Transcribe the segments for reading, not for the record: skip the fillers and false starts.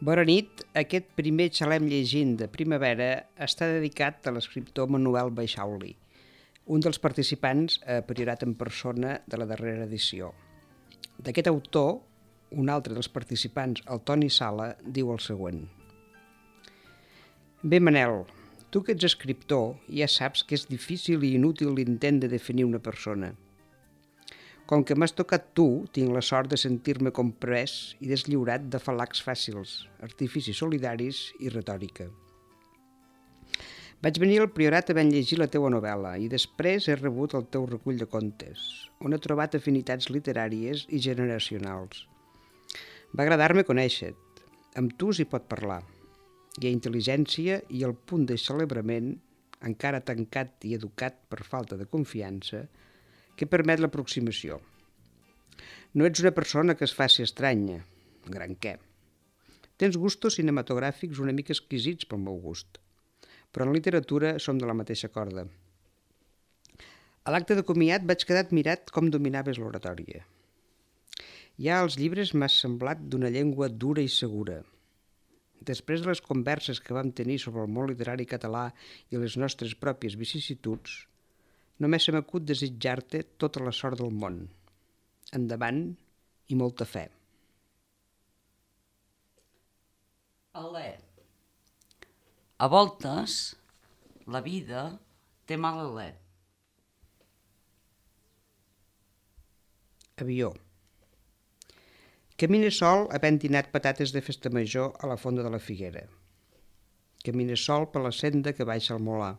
Bona nit. Aquest primer xalem llegint de primavera està dedicat a l'escriptor Manuel Baixauli, un dels participants a Priorat en persona de la darrera edició. D'aquest autor, un altre dels participants, el Toni Sala, diu el següent. Bé, Manel, tu que ets escriptor ja saps que és difícil i inútil l'intent de definir una persona. Com que m'has tocat tu, tinc la sort de sentir-me comprès i deslliurat de falacs fàcils, artificis solidaris i retòrica. Vaig venir al Priorat havent llegir la teua novel·la i després he rebut el teu recull de contes, on he trobat afinitats literàries i generacionals. Va agradar-me conèixer-te. Amb tu s'hi pot parlar. Hi ha intel·ligència i el punt de celebrament, encara tancat i educat per falta de confiança, que permet l'aproximació. No ets una persona que es faci estranya, gran què. Tens gustos cinematogràfics una mica exquisits pel meu gust, però en literatura som de la mateixa corda. A l'acte de comiat vaig quedar admirat com dominaves l'oratòria. Ja als llibres m'has semblat d'una llengua dura i segura. Després de les converses que vam tenir sobre el món literari català i les nostres pròpies vicissituds, només se m'acut desitjar-te tota la sort del món. Endavant i molta fe. Alè. A voltes, la vida té mal alè. Avió. Camina sol havent dinat patates de festa major a la fonda de la Figuera. Camina sol per la senda que baixa al Molar.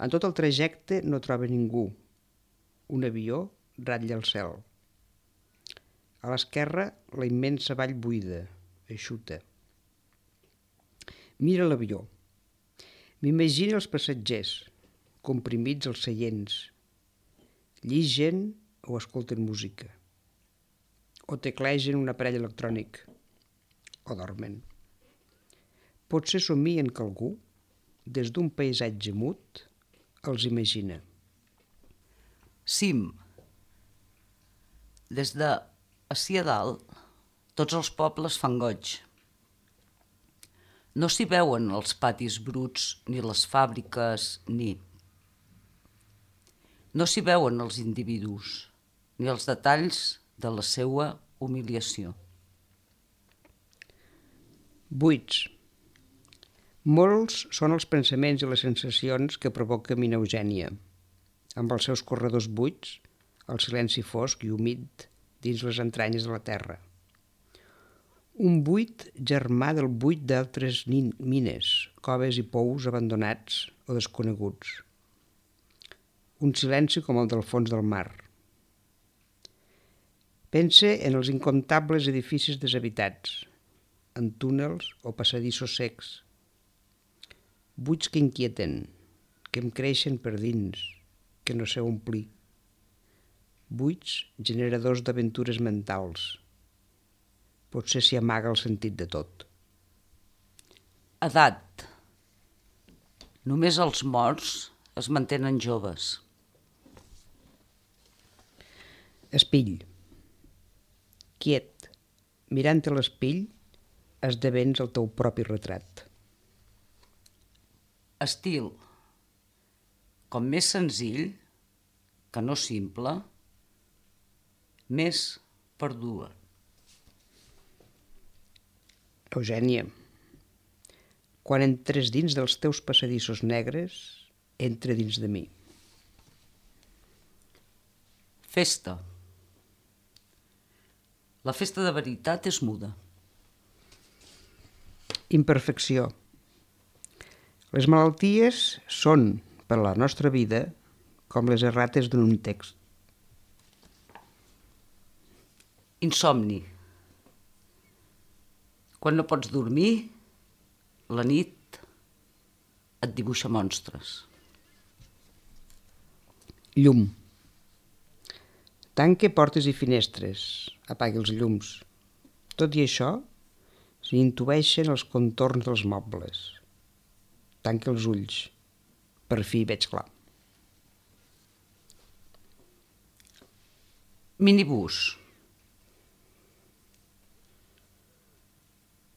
En tot el trajecte no troba ningú. Un avió ratlla el cel. A l'esquerra, la immensa vall buida, eixuta. Mira l'avió. M'imagina els passatgers, comprimits als seients. Lligen o escolten música. O teclegen un aparell electrònic. O dormen. Potser somien que algú, des d'un paisatge mut, els imagina. Cim. Des de ací a dalt, tots els pobles fan goig. No s'hi veuen els patis bruts, ni les fàbriques, ni... No s'hi veuen els individus, ni els detalls de la seua humiliació. Buits. Molts són els pensaments i les sensacions que provoca Mina Eugènia, amb els seus corredors buits, el silenci fosc i humit dins les entranyes de la terra. Un buit germà del buit d'altres mines, coves i pous abandonats o desconeguts. Un silenci com el del fons del mar. Pense en els incomptables edificis deshabitats, en túnels o passadissos secs, buits que inquieten, que em creixen per dins, que no sé omplir. Buits generadors d'aventures mentals. Potser s'hi amaga el sentit de tot. Edat. Només els morts es mantenen joves. Espill. Quiet. Mirant a l'espill, esdevens el teu propi retrat. Estil. Com més senzill, que no simple, més perdua. Eugènia, quan entres dins dels teus passadissos negres, entra dins de mi. Festa. La festa de veritat és muda. Imperfecció. Les malalties són, per a la nostra vida, com les errates d'un text. Insomni. Quan no pots dormir, la nit et dibuixa monstres. Llum. Tanque portes i finestres, apagui els llums. Tot i això, S'hi intueixen els contorns dels mobles. Tanca els ulls. Per fi veig clar. Minibús.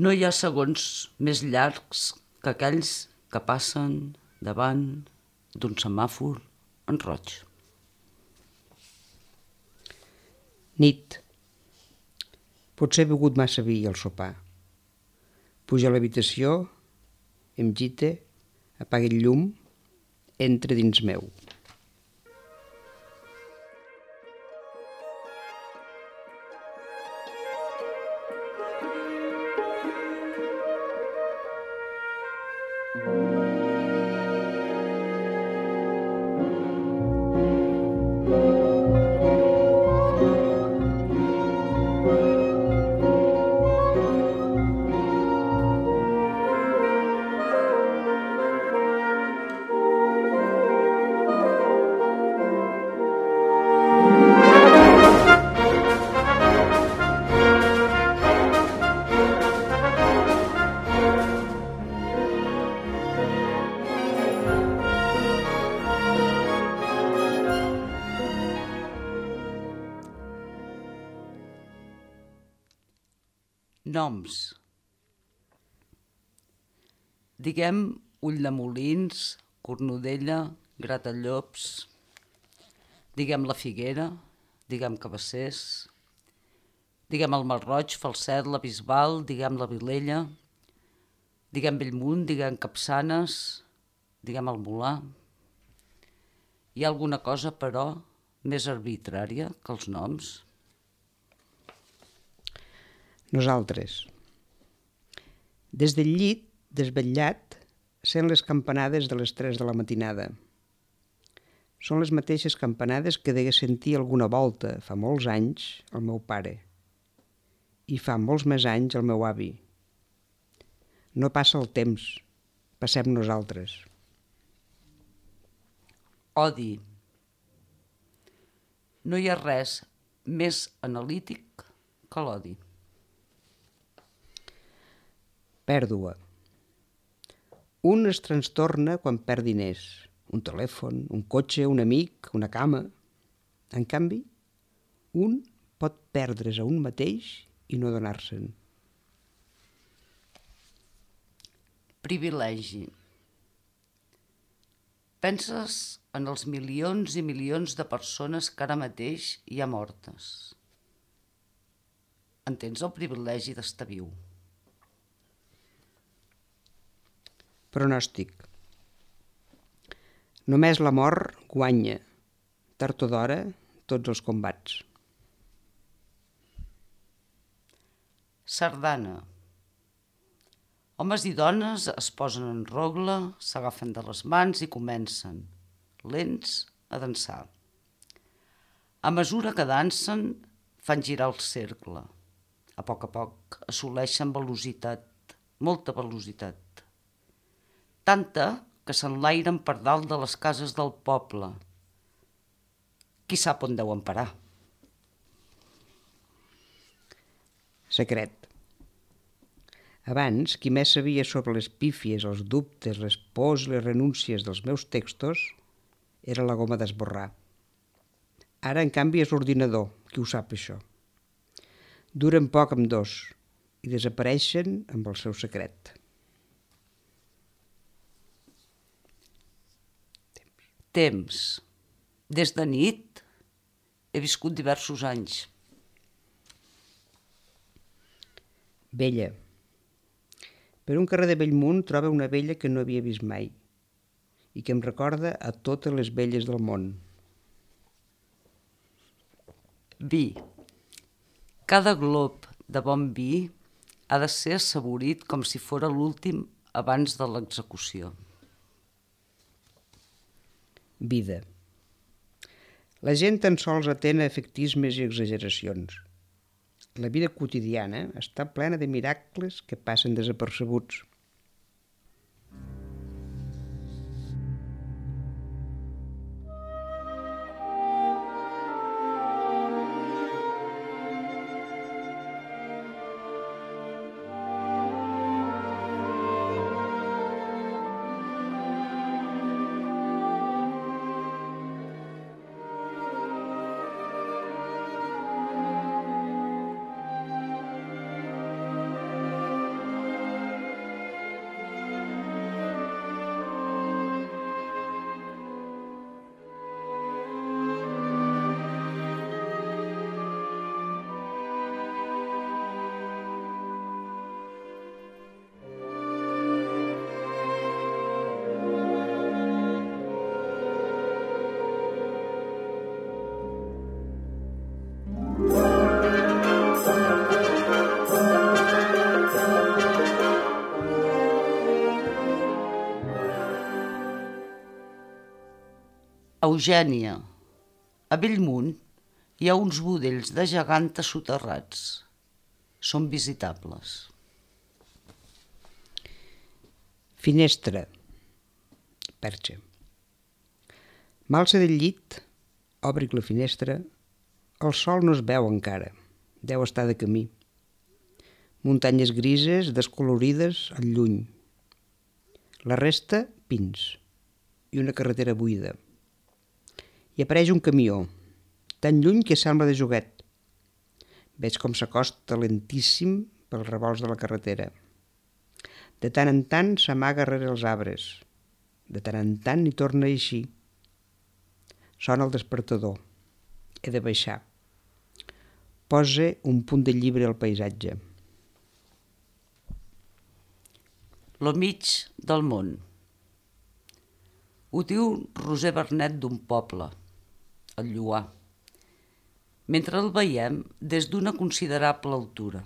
No hi ha segons més llargs que aquells que passen davant d'un semàfor en roig. Nit. Potser he begut massa vi al sopar. Puja a l'habitació, em gite, apaga el llum, entra dins meu. Noms. Diguem Ulldemolins, Cornudella, Gratallops. Diguem la Figuera, diguem Cabassers. Diguem el Malroig, Falset, la Bisbal, diguem la Vilella. Diguem Bellmunt, diguem Capçanes, diguem el Molar. Hi ha alguna cosa, però, més arbitrària que els noms? Nosaltres. Des del llit, desvetllat, sent les campanades de les 3 de la matinada. Són les mateixes campanades que degué sentir alguna volta, fa molts anys, el meu pare. I fa molts més anys el meu avi. No passa el temps, passem nosaltres. Odi. No hi ha res més analític que l'odi. Pèrdua. Un es trastorna quan perd diners, un telèfon, un cotxe, un amic, una cama. En canvi, un pot perdre's a un mateix i no donar-se'n. Privilegi. Penses en els milions i milions de persones que ara mateix hi ha mortes. En tens el privilegi d'estar viu. Pronòstic. Només la mort guanya, tard o d'hora, tots els combats. Sardana. Homes i dones es posen en rogle, s'agafen de les mans i comencen, lents, a dansar. A mesura que dansen, fan girar el cercle. A poc assoleixen velocitat, molta velocitat. Tanta que s'enlairen per dalt de les cases del poble. Qui sap on deuen parar? Secret. Abans, qui més sabia sobre les pífies, els dubtes, les pors i les renúncies dels meus textos era la goma d'esborrar. Ara, en canvi, és l'ordinador qui ho sap, això. Duren poc amb dos i desapareixen amb el seu secret. Temps. Des de nit he viscut diversos anys. Vella. Per un carrer de Bellmunt troba una vella que no havia vist mai i que em recorda a totes les velles del món. Vi. Cada glop de bon vi ha de ser assaborit com si fora l'últim abans de l'execució. Vida. La gent tan sols atén a efectismes i exageracions. La vida quotidiana està plena de miracles que passen desapercebuts. Eugènia. A Bellmunt hi ha uns budells de geganta soterrats. Són visitables. Finestra. Perxa. M'alça del llit, obric la finestra. El sol no es veu encara. Deu estar de camí. Muntanyes grises, descolorides, al lluny. La resta, pins. I una carretera buida. I apareix un camió, tan lluny que sembla de joguet. Veig com s'acosta lentíssim pels revolts de la carretera. De tant en tant s'amaga rere els arbres. De tant en tant hi torna a eixir. Sona el despertador. He de baixar. Posa un punt de llibre al paisatge. Lo mig del món. Ho diu Roser Bernet d'un poble, el Lloar, mentre el veiem des d'una considerable altura.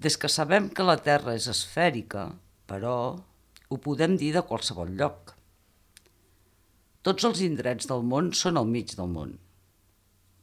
Des que sabem que la Terra és esfèrica, però ho podem dir de qualsevol lloc. Tots els indrets del món són al mig del món.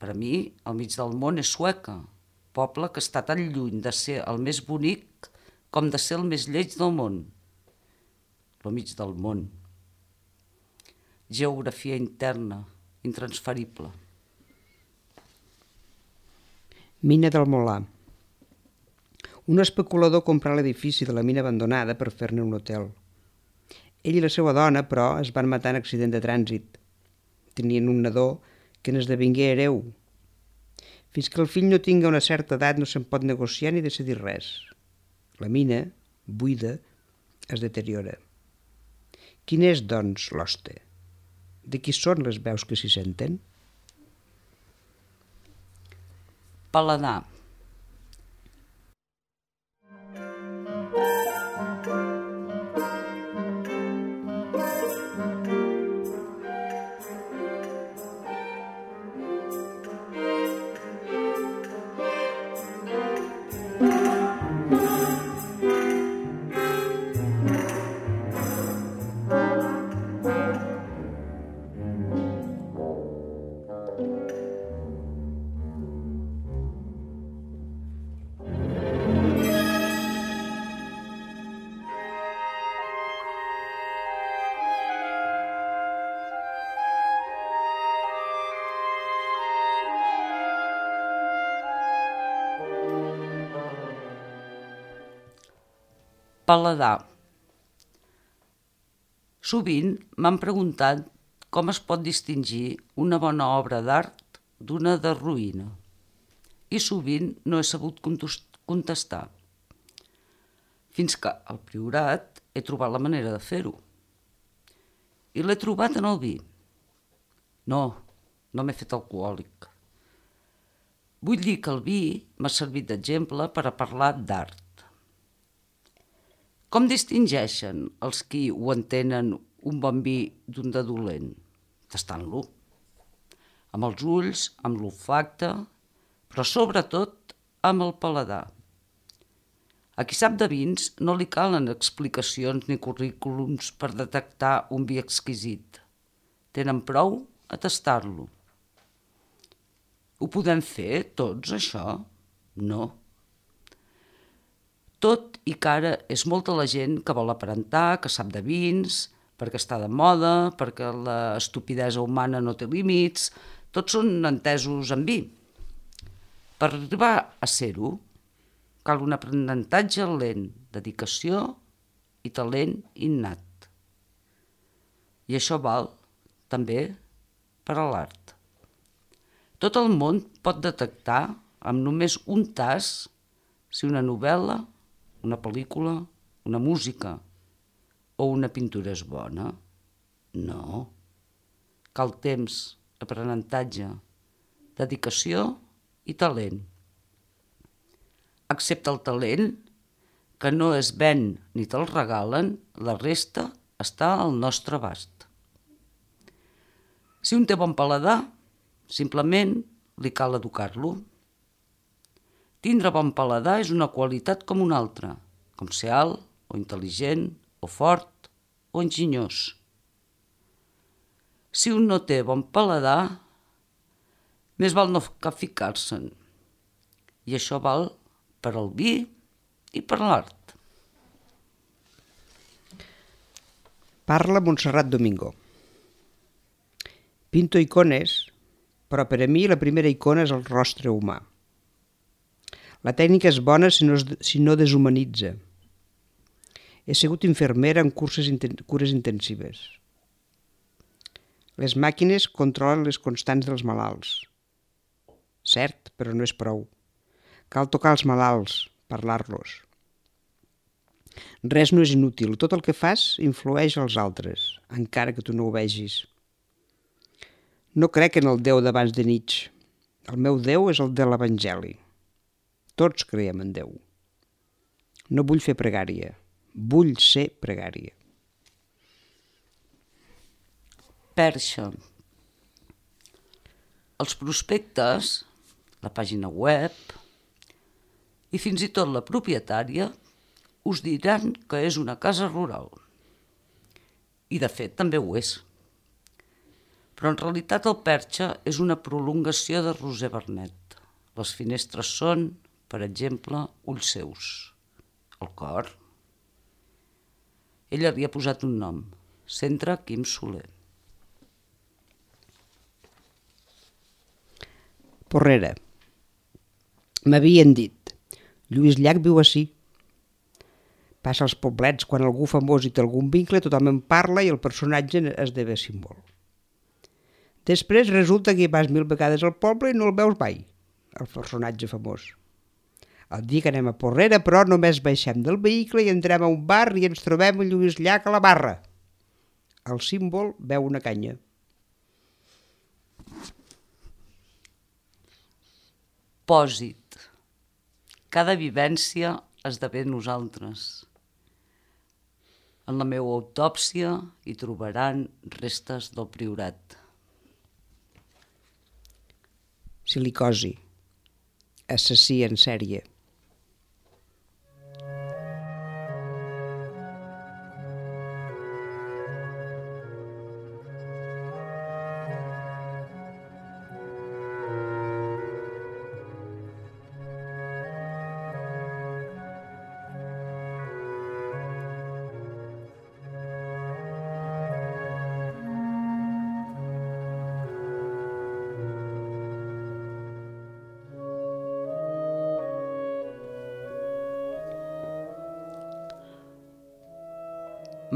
Per a mi, el mig del món és Sueca, poble que està tan lluny de ser el més bonic com de ser el més lleig del món. Lo mig del món. Geografia interna, intransferible. Mina del Molar. Un especulador comprà l'edifici de la mina abandonada per fer-ne un hotel. Ell i la seva dona, però, es van matar en accident de trànsit. Tenien un nadó que n'esdevingué hereu. Fins que el fill no tinga una certa edat no se'n pot negociar ni decidir res. La mina, buida, es deteriora. Quin és, doncs, l'hoste? De qui són les veus que s'hi senten? Paladar. Paladar. Sovint m'han preguntat com es pot distingir una bona obra d'art d'una de ruïna. I sovint no he sabut contestar. Fins que al Priorat he trobat la manera de fer-ho. I l'he trobat en el vi. No m'he fet alcohòlic. Vull dir que el vi m'ha servit d'exemple per a parlar d'art. Com distingeixen els qui ho entenen un bon vi d'un de dolent? Tastant-lo. Amb els ulls, amb l'olfacte, però sobretot amb el paladar. A qui sap de vins no li calen explicacions ni currículums per detectar un vi exquisit. Tenen prou a tastar-lo. Ho podem fer tots, això? No. Tot i que ara és molta la gent que vol aparentar, que sap de vins, perquè està de moda, perquè la estupidesa humana no té límits, tots són entesos en vi. Per arribar a ser-ho, cal un aprenentatge lent, dedicació i talent innat. I això val també per a l'art. Tot el món pot detectar amb només un tas si una novel·la, una pel·lícula, una música o una pintura és bona. No. Cal temps, aprenentatge, dedicació i talent. Excepte el talent, que no es ven ni te'l regalen, la resta està al nostre abast. Si un té bon paladar, simplement li cal educar-lo. Tindre bon paladar és una qualitat com una altra, com ser alt, o intel·ligent, o fort, o enginyós. Si un no té bon paladar, més val no ficar-se'n. I això val per al vi i per l'art. Parla Montserrat Domingo. Pinto icones, però per a mi la primera icona és el rostre humà. La tècnica és bona si no deshumanitza. He sigut infermera en cures intensives. Les màquines controlen les constants dels malalts. Cert, però no és prou. Cal tocar els malalts, parlar-los. Res no és inútil. Tot el que fas influeix als altres, encara que tu no ho vegis. No crec en el Déu d'abans de Nietzsche. El meu Déu és el de l'Evangeli. Tots creiem en Déu. No vull fer pregària. Vull ser pregària. Perxa. Els prospectes, la pàgina web i fins i tot la propietària us diran que és una casa rural. I de fet també ho és. Però en realitat el Perxa és una prolongació de Roser Vernet. Les finestres són, per exemple, ulls seus. El cor. Ella li ha posat un nom, Centre Quim Soler. Porrera. M'havien dit, Lluís Llach viu ací. Passa als poblets, quan algú famós i té algun vincle, tothom en parla i el personatge esdevé símbol. Després resulta que hi vas 1000 vegades al poble i no el veus mai, el personatge famós. El dia que anem a Porrera, però, només baixem del vehicle i entrem a un bar i ens trobem a Lluís Llach a la barra. El símbol veu una canya. Pòsit. Cada vivència esdevé nosaltres. En la meva autòpsia hi trobaran restes del priorat. Silicosi. Assassí en sèrie.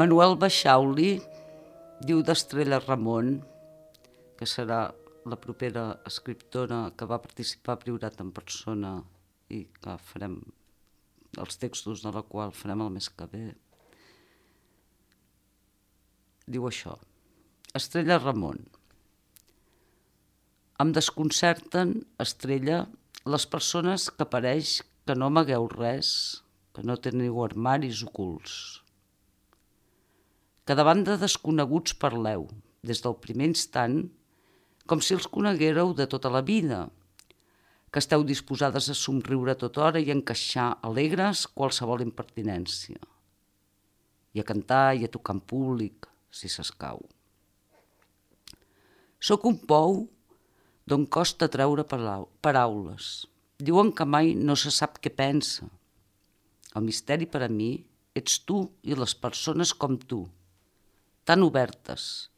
Manuel Baixauli diu d'Estrella Ramon, que serà la propera escriptora que va participar a Priorat en persona i que farem els textos de la qual farem el mes que ve. Diu això, Estrella Ramon. Em desconcerten, Estrella, les persones que pareix que no amagueu res, que no teniu armaris ocults. Que davant de desconeguts parleu, des del primer instant, com si els coneguéreu de tota la vida, que esteu disposades a somriure tota hora i a encaixar alegres qualsevol impertinència, i a cantar i a tocar en públic, si s'escau. Soc un pou d'on costa treure paraules. Diuen que mai no se sap què pensa. El misteri per a mi ets tu i les persones com tu, tan obertes,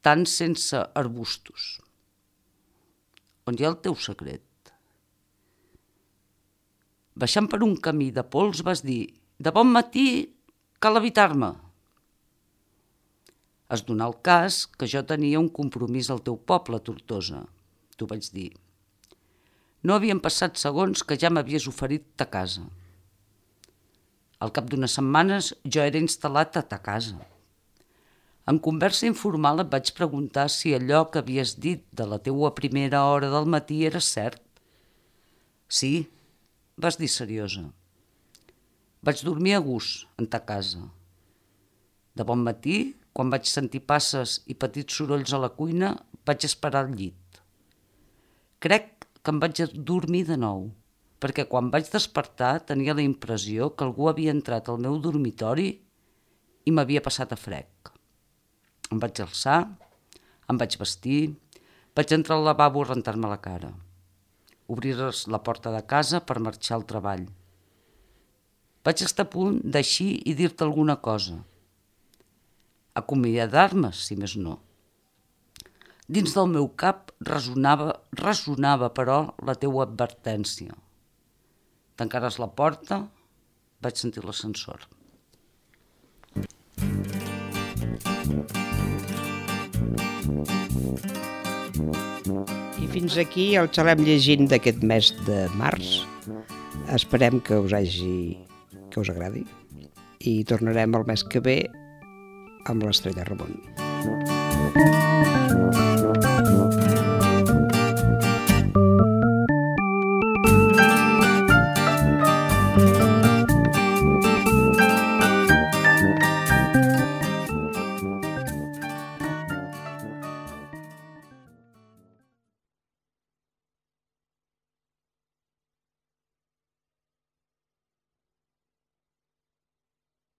tan sense arbustos. On hi ha el teu secret? Baixant per un camí de pols vas dir, de bon matí cal evitar-me. Es donà el cas que jo tenia un compromís al teu poble, Tortosa. T'ho vaig dir. No havien passat segons que ja m'havies oferit ta casa. Al cap d'unes setmanes jo era instal·lat a ta casa. En conversa informal et vaig preguntar si allò que havies dit de la teua primera hora del matí era cert. Sí, vas dir seriosa. Vaig dormir a gust en ta casa. De bon matí, quan vaig sentir passes i petits sorolls a la cuina, vaig esperar al llit. Crec que em vaig dormir de nou, perquè quan vaig despertar tenia la impressió que algú havia entrat al meu dormitori i m'havia passat a frec. Em vaig alçar, Em vaig vestir, vaig entrar al lavabo a rentar-me la cara, obrir la porta de casa per marxar al treball. Vaig estar a punt d'eixir i dir-te alguna cosa. Acomiadar-me, si més no. Dins del meu cap ressonava, però, la teua advertència. Tancares la porta, vaig sentir l'ascensor. I fins aquí el xalem llegint d'aquest mes de març. Esperem que us agradi i tornarem el mes que ve amb l'Estrella Ramon.